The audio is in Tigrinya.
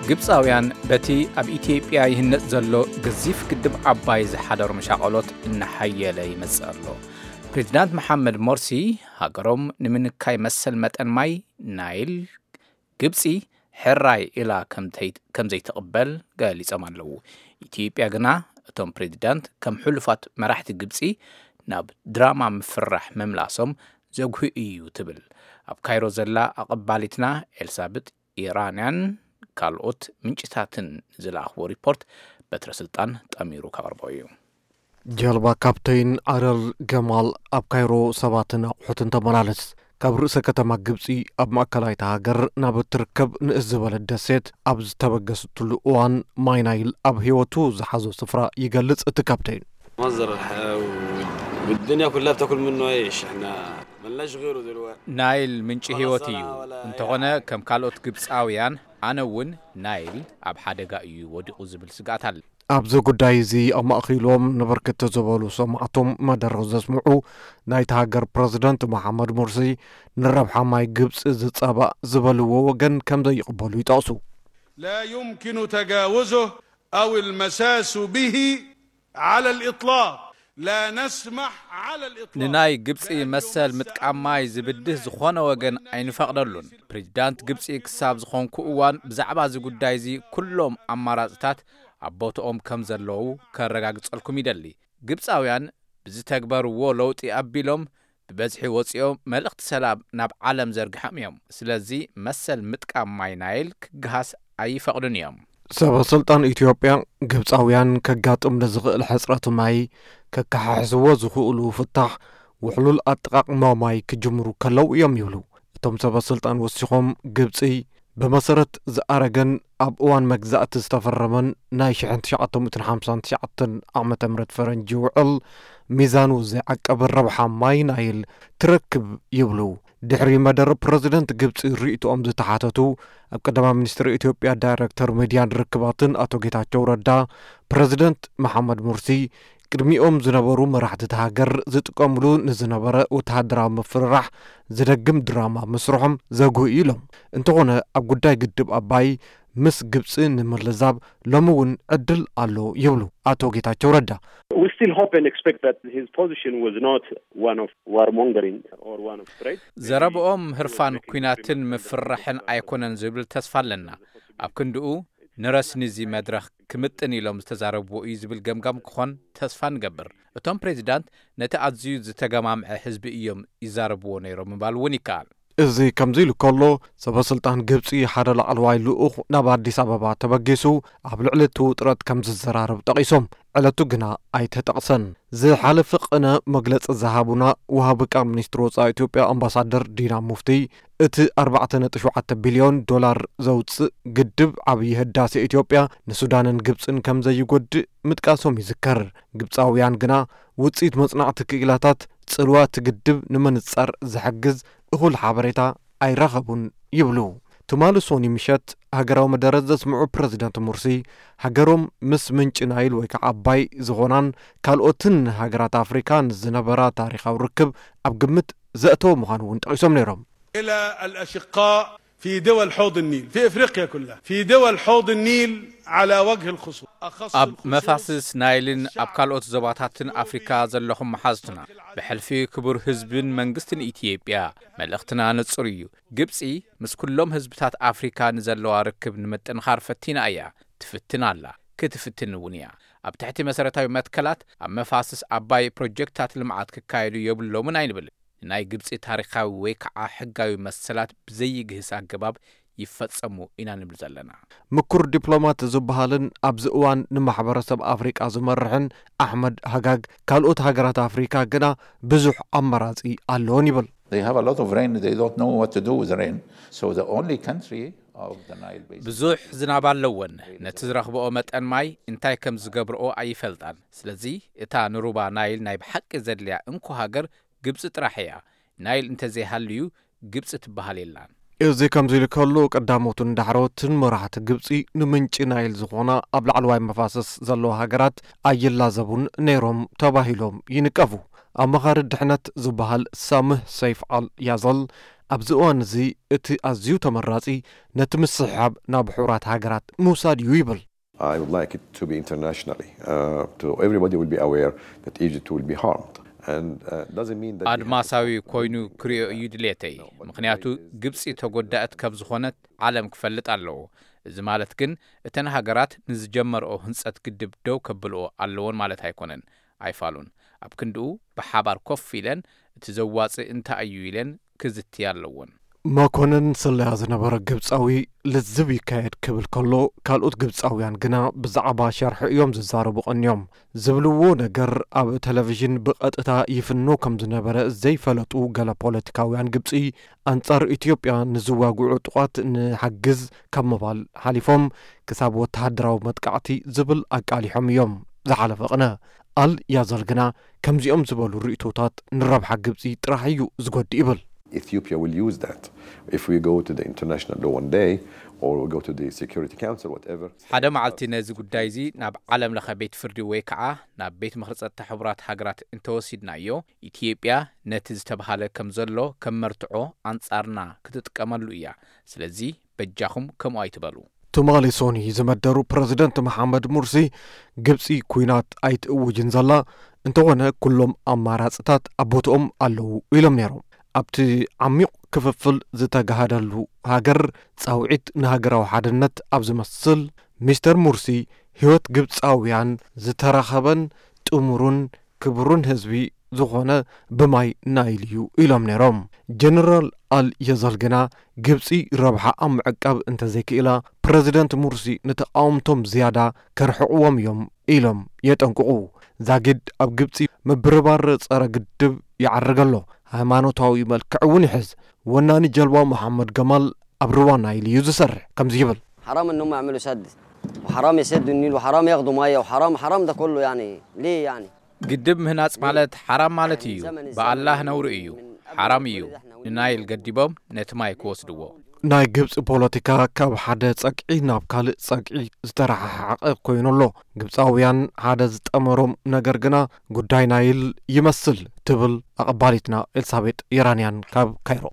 ግብጻውያን በቲ ኣብ ኢትዮጵያ ይህነጽ ዘሎ ገዚፍ ግድብ ዓባይ ዝሓደሮም ሻቐሎት እናሓየለ ይመጽእ ኣሎ። ፕሬዚዳንት መሓመድ ሞርሲ ሃገሮም ንምንካይ መሰል መጠን ማይ ናይል ግብጺ ሕራይ ኢላ ከም ዘይትቕበል ገሊጾም ኣለዉ። ኢትዮጵያ ግና እቶም ፕሬዚዳንት ከም ሕሉፋት መራሕቲ ግብጺ ናብ ድራማ ምፍራሕ ምምላሶም ዘጉሂ እዩ ትብል። ኣብ ካይሮ ዘላ ኣቐባሊትና ኤልሳቤጥ ኢራንያን ካልኦት ምንጭታትን ዝለኣኽዎ ሪፖርት በትረ ስልጣን ጠሚሩ ከቕርቦ እዩ። ጀልባ ካፕተይን ኣረል ገማል ኣብ ካይሮ ሰባትን ኣቑሑትን ተመላለስ። ካብ ርእሰ ከተማ ግብጺ ኣብ ማእከላይታ ሃገር ናብ እትርከብ ንእስ ዝበለት ደሴት ኣብ ዝተበገሰትሉ እዋን ማይ ናይል ኣብ ህይወቱ ዝሓዞ ስፍራ ይገልጽ እቲ ካፕተይን። مصدر الحياة و- والدنيا كلها بتاكل منه عيش، احنا ملناش غيره دلوقتي. ናይል ምንጪ ህይወት እዩ። እንተኾነ ከም ካልኦት ግብጻውያን ኣነ እውን ናይል ኣብ ሓደጋ እዩ ወዲቑ ዝብል ስግኣት ኣሎ። ኣብዚ ጉዳይ እዚ ኣማእኺሎም ንብርክት ዝበሉ ሰማዕቶም መደረ ዘስምዑ ናይቲ ሃገር ፕረዚደንት መሓመድ ሙርሲ ንረብሓ ማይ ግብፂ ዝፃባእ ዝበልዎ ወገን ከም ዘይቕበሉ ይጠቕሱ። لا يمكن تجاوزه أو المساس به على الإطلاق. لا نسمح على الإطلاق ንናይ ግብፂ መሰል ምጥቃም ማይ ዝብድህ ዝኾነ ወገን ኣይንፈቕደሉን። ፕሬዚዳንት ግብፂ ክሳብ ዝኾንኩ እዋን ብዛዕባ እዚ ጉዳይ እዚ ኩሎም ኣማራፅታት ኣብ ቦትኦም ከም ዘለዉ ከረጋግፀልኩም ይደሊ። ግብፃውያን ብዝተግበርዎ ለውጢ ኣቢሎም ብበዝሒ ወፂኦም መልእኽቲ ሰላም ናብ ዓለም ዘርግሖም እዮም። ስለዚ መሰል ምጥቃም ማይ ናይል ክገሃስ ኣይፈቕዱን እዮም። ሰበ ስልጣን ኢትዮጵያ ግብፃውያን ከጋጥም ንዝኽእል ሕፅረት ማይ ከከሓሕዝዎ ዝኽእሉ ፍታሕ ውሕሉል ኣጠቓቕማ ማይ ክጅምሩ ከለዉ እዮም ይብሉ። እቶም ሰበ ስልጣን ወሲኾም ግብፂ ብመሰረት ዝኣረገን ኣብ እዋን መግዛእቲ ዝተፈረመን ናይ ሽሕን ትሽዓተ ሚእትን ሓምሳን ትሽዓተን ዓመተ ምህረት ፈረንጂ ውዕል ሚዛኑ ዘይዓቀበ ረብሓ ማይ ናይል ትረክብ ይብሉ። ድሕሪ መደረ ፕረዚደንት ግብፂ ርእይቶኦም ዝተሓተቱ ኣብ ቀዳማይ ሚኒስትር ኢትዮጵያ ዳይሬክተር ሚድያን ርክባትን ኣቶ ጌታቸው ረዳ ፕረዚደንት መሓመድ ሙርሲ ቅድሚኦም ዝነበሩ መራሕቲ እቲ ሃገር ዝጥቀምሉ ንዝነበረ ወተሃደራዊ ምፍርራሕ ዝደግም ድራማ ምስርሖም ዘጉህ እዩ ኢሎም። እንተኾነ ኣብ ጉዳይ ግድብ ኣባይ ምስ ግብፂ ንምልዛብ ሎሚ እውን ዕድል ኣሎ ይብሉ ኣቶ ጌታቸው ረዳ። We still hope and expect that his position was not one of warmongering or one of threat. ዘረብኦም ህርፋን ኲናትን ምፍርራሕን ኣይኮነን ዝብል ተስፋ ኣለና። ኣብ ክንድኡ ንረስኒ እዚ መድረኽ ክምጥን ኢሎም ዝተዛረብዎ እዩ ዝብል ገምጋም ክኾን ተስፋ ንገብር። እቶም ፕሬዚዳንት ነቲ ኣዝዩ ዝተገማምዐ ህዝቢ እዮም ይዛረብዎ ነይሮም ምባል እውን ይከኣል። እዚ ከምዚ ኢሉ ከሎ ሰበ ስልጣን ግብፂ ሓደ ላዕለዋይ ልኡኽ ናብ ኣዲስ ኣበባ ተበጊሱ ኣብ ልዕሊ እቲ ውጥረት ከም ዝዘራረብ ጠቒሶም። ዕለቱ ግና ኣይተጠቕሰን። ዝሓለፈ ቅነ መግለፂ ዝሃቡና ወሃቢ ቃል ሚኒስትሪ ወፃኢ ኢትዮጵያ ኣምባሳደር ዲና ሙፍቲ እቲ ኣርባዕተ ነጥቢ ሸውዓተ ቢልዮን ዶላር ዘውፅእ ግድብ ዓብዪ ህዳሴ ኢትዮጵያ ንሱዳንን ግብፅን ከም ዘይጎድእ ምጥቃሶም ይዝከር። ግብፃውያን ግና ውፅኢት መፅናዕቲ ክኢላታት ፅልዋ እቲ ግድብ ንምንፃር ዝሕግዝ እኹል ሓበሬታ ኣይረኸቡን ይብሉ። ትማሊ ሶኒ ምሸት ሃገራዊ መደረ ዘስምዑ ፕረዚደንት ሙርሲ ሃገሮም ምስ ምንጪ ናይል ወይ ከዓ ኣባይ ዝኾናን ካልኦትን ሃገራት ኣፍሪካ ንዝነበራ ታሪኻዊ ርክብ ኣብ ግምት ዘእተወ ምዃኑ እውን ጠቒሶም ነይሮም። إلى الأشقاء في دول حوض النيل، في إفريقيا كلها، في دول حوض النيل على وجه الخصوص، أخص ኣብ الخصوص መፋስስ ናይልን ኣብ ካልኦት ዞባታትን ኣፍሪካ ዘለኹም መሓዝትና፣ ብሕልፊ ክቡር ህዝብን መንግስትን ኢትዮጵያ መልእኽትና ንጹር እዩ። ግብጺ ምስ ኩሎም ህዝብታት ኣፍሪካ ንዘለዋ ርክብ ንምጥንኻር ፈቲና እያ፣ ትፍትን ኣላ፣ ክትፍትን እውን እያ። ኣብ ትሕቲ መሰረታዊ መትከላት ኣብ መፋስስ ኣባይ ፕሮጀክታት ልምዓት ክካየዱ የብሎምን ኣይንብልን። ንናይ ግብጺ ታሪኻዊ ወይ ከዓ ሕጋዊ መሰላት ብዘይግህስ ኣገባብ ይፈጸሙ ኢና ንብል ዘለና። ምኩር ዲፕሎማት ዝበሃልን ኣብዚ እዋን ንማሕበረሰብ ኣፍሪቃ ዝመርሕን ኣሕመድ ሃጋግ ካልኦት ሃገራት ኣፍሪካ ግና ብዙሕ ኣማራጺ ኣለዎን ይብል። They have a lot of rain, they don't know what to do with rain. So the only country of the Nile basin ብዙሕ ዝናብ ኣለወን። ነቲ ዝረኽብኦ መጠን ማይ እንታይ ከም ዝገብርኦ ኣይፈልጣን። ስለዚ እታ ንሩባ ናይል ናይ ብሓቂ ዘድልያ እንኮ ሃገር ግብጺ ጥራሕ እያ። ናይል እንተዘይሃልዩ ግብጺ ትበሃል የላን። እዚ ከምዚ ኢሉ ከሎ ቀዳሞትን ዳሕሮትን መራሕቲ ግብጺ ንምንጪ ናይል ዝኾና ኣብ ላዕለዋይ መፋሰስ ዘለዋ ሃገራት ኣይላዘቡን ነይሮም ተባሂሎም ይንቀፉ። ኣማኻሪ ድሕነት ዝበሃል ሳምህ ሰይፍ ኣል ያዘል ኣብዚ እዋን እዚ እቲ ኣዝዩ ተመራጺ ነቲ ምስሕሓብ ናብ ሕቡራት ሃገራት ምውሳድ እዩ ይብል። I would like it to be internationally, uh, to everybody will be aware that Egypt will be harmed. And uh, doesn't mean that we have to ኣድማሳዊ ኮይኑ ክሪኦ እዩ ድሌተይ። ምኽንያቱ ግብፂ ተጎዳእት ከም ዝኾነት ዓለም ክፈልጥ ኣለዎ። እዚ ማለት ግን እተን ሃገራት ንዝጀመርኦ ህንፀት ግድብ ደው ከብልኦ ኣለዎን ማለት ኣይኮነን። ኣይፋሉን። ኣብ ክንድኡ ብሓባር ኮፍ ኢለን እቲ ዘዋፅእ እንታይ እዩ ኢለን ክዝትያ ኣለዎን። መኮንን ስለያ ዝነበረ ግብጻዊ ልዝብ ይካየድ ክብል ከሎ፣ ካልኦት ግብጻውያን ግና ብዛዕባ ሸርሒ እዮም ዝዛረቡ ቀንዮም። ዝብልዎ ነገር ኣብ ቴሌቪዥን ብቐጥታ ይፍኖ ከም ዝነበረ ዘይፈለጡ ገለ ፖለቲካውያን ግብጺ፣ ኣንጻር ኢትዮጵያ ንዝዋግዑ ዕጡቓት ንሓግዝ ካብ ምባል ሓሊፎም ክሳብ ወተሃደራዊ መጥቃዕቲ ዝብል ኣቃሊሖም እዮም። ዝሓለፈ ቅነ ኣል ያዛል ግና ከምዚኦም ዝበሉ ርእይቶታት ንረብሓ ግብጺ ጥራሕ እዩ ዝጎድእ ይብል። Ethiopia will use that if we go to the international law one day or we go to the Security Council, whatever. ሓደ መዓልቲ ነዚ ጉዳይ እዚ ናብ ዓለም ለኸ ቤት ፍርዲ ወይ ከዓ ናብ ቤት ምኽሪ ጸጥታ ሕቡራት ሃገራት እንተወሲድናዮ፣ ኢትዮጵያ ነቲ ዝተብሃለ ከም ዘሎ ከም መርትዖ ኣንጻርና ክትጥቀመሉ እያ። ስለዚ በጃኹም ከምኡ ኣይትበሉ። ትማሊ ሶኒ ዝመደሩ ፕረዚደንት መሓመድ ሙርሲ፣ ግብጺ ኲናት ኣይትእውጅን ዘላ፣ እንተኾነ ኩሎም ኣማራጽታት ኣብ ቦትኦም ኣለዉ ኢሎም ነይሮም። ኣብቲ ዓሚቕ ክፍፍል ዝተጋሃደሉ ሃገር፣ ጻውዒት ንሃገራዊ ሓድነት ኣብ ዝመስል፣ ሚስተር ሙርሲ፣ ህይወት ግብጻውያን ዝተረኸበን ጥሙሩን ክቡሩን ህዝቢ ዝኾነ ብማይ ናይል እዩ ኢሎም ነይሮም። ጀነራል ኣል የዘል ግና፣ ግብጺ ረብሓ ኣብ ምዕቃብ እንተዘይክኢላ፣ ፕረዚደንት ሙርሲ ንተቓወምቶም ዝያዳ ከርሕቕዎም እዮም ኢሎም የጠንቅቑ። ዛጊድ ኣብ ግብጺ ምብርባር ጸረ ግድብ ይዓርግ ኣሎ፣ ሃይማኖታዊ መልክዕ እውን ይሕዝ። ወናኒ ጀልባ መሓመድ ገማል ኣብ ርዋ ናይል እዩ ዝሰርሕ። ከምዚ ይብል። حرام انهم يعملوا سد، وحرام يسدوا النيل، وحرام ياخذوا ميه، وحرام، حرام ده كله، يعني ليه يعني؟ ግድብ ምህናጽ ማለት ሓራም ማለት እዩ። ብኣላህ ነውሪ እዩ። ሓራም እዩ ንናይል ገዲቦም ነቲ ማይ ክወስድዎ። ናይ ግብጺ ፖለቲካ ካብ ሓደ ጸግዒ ናብ ካልእ ጸግዒ ዝተረሓሓቐ ኮይኑ ኣሎ። ግብጻውያን ሓደ ዝጠመሮም ነገር ግና ጉዳይ ናይል ይመስል ትብል ኣቐባሊትና ኤልሳቤጥ የራንያን ካብ ካይሮ።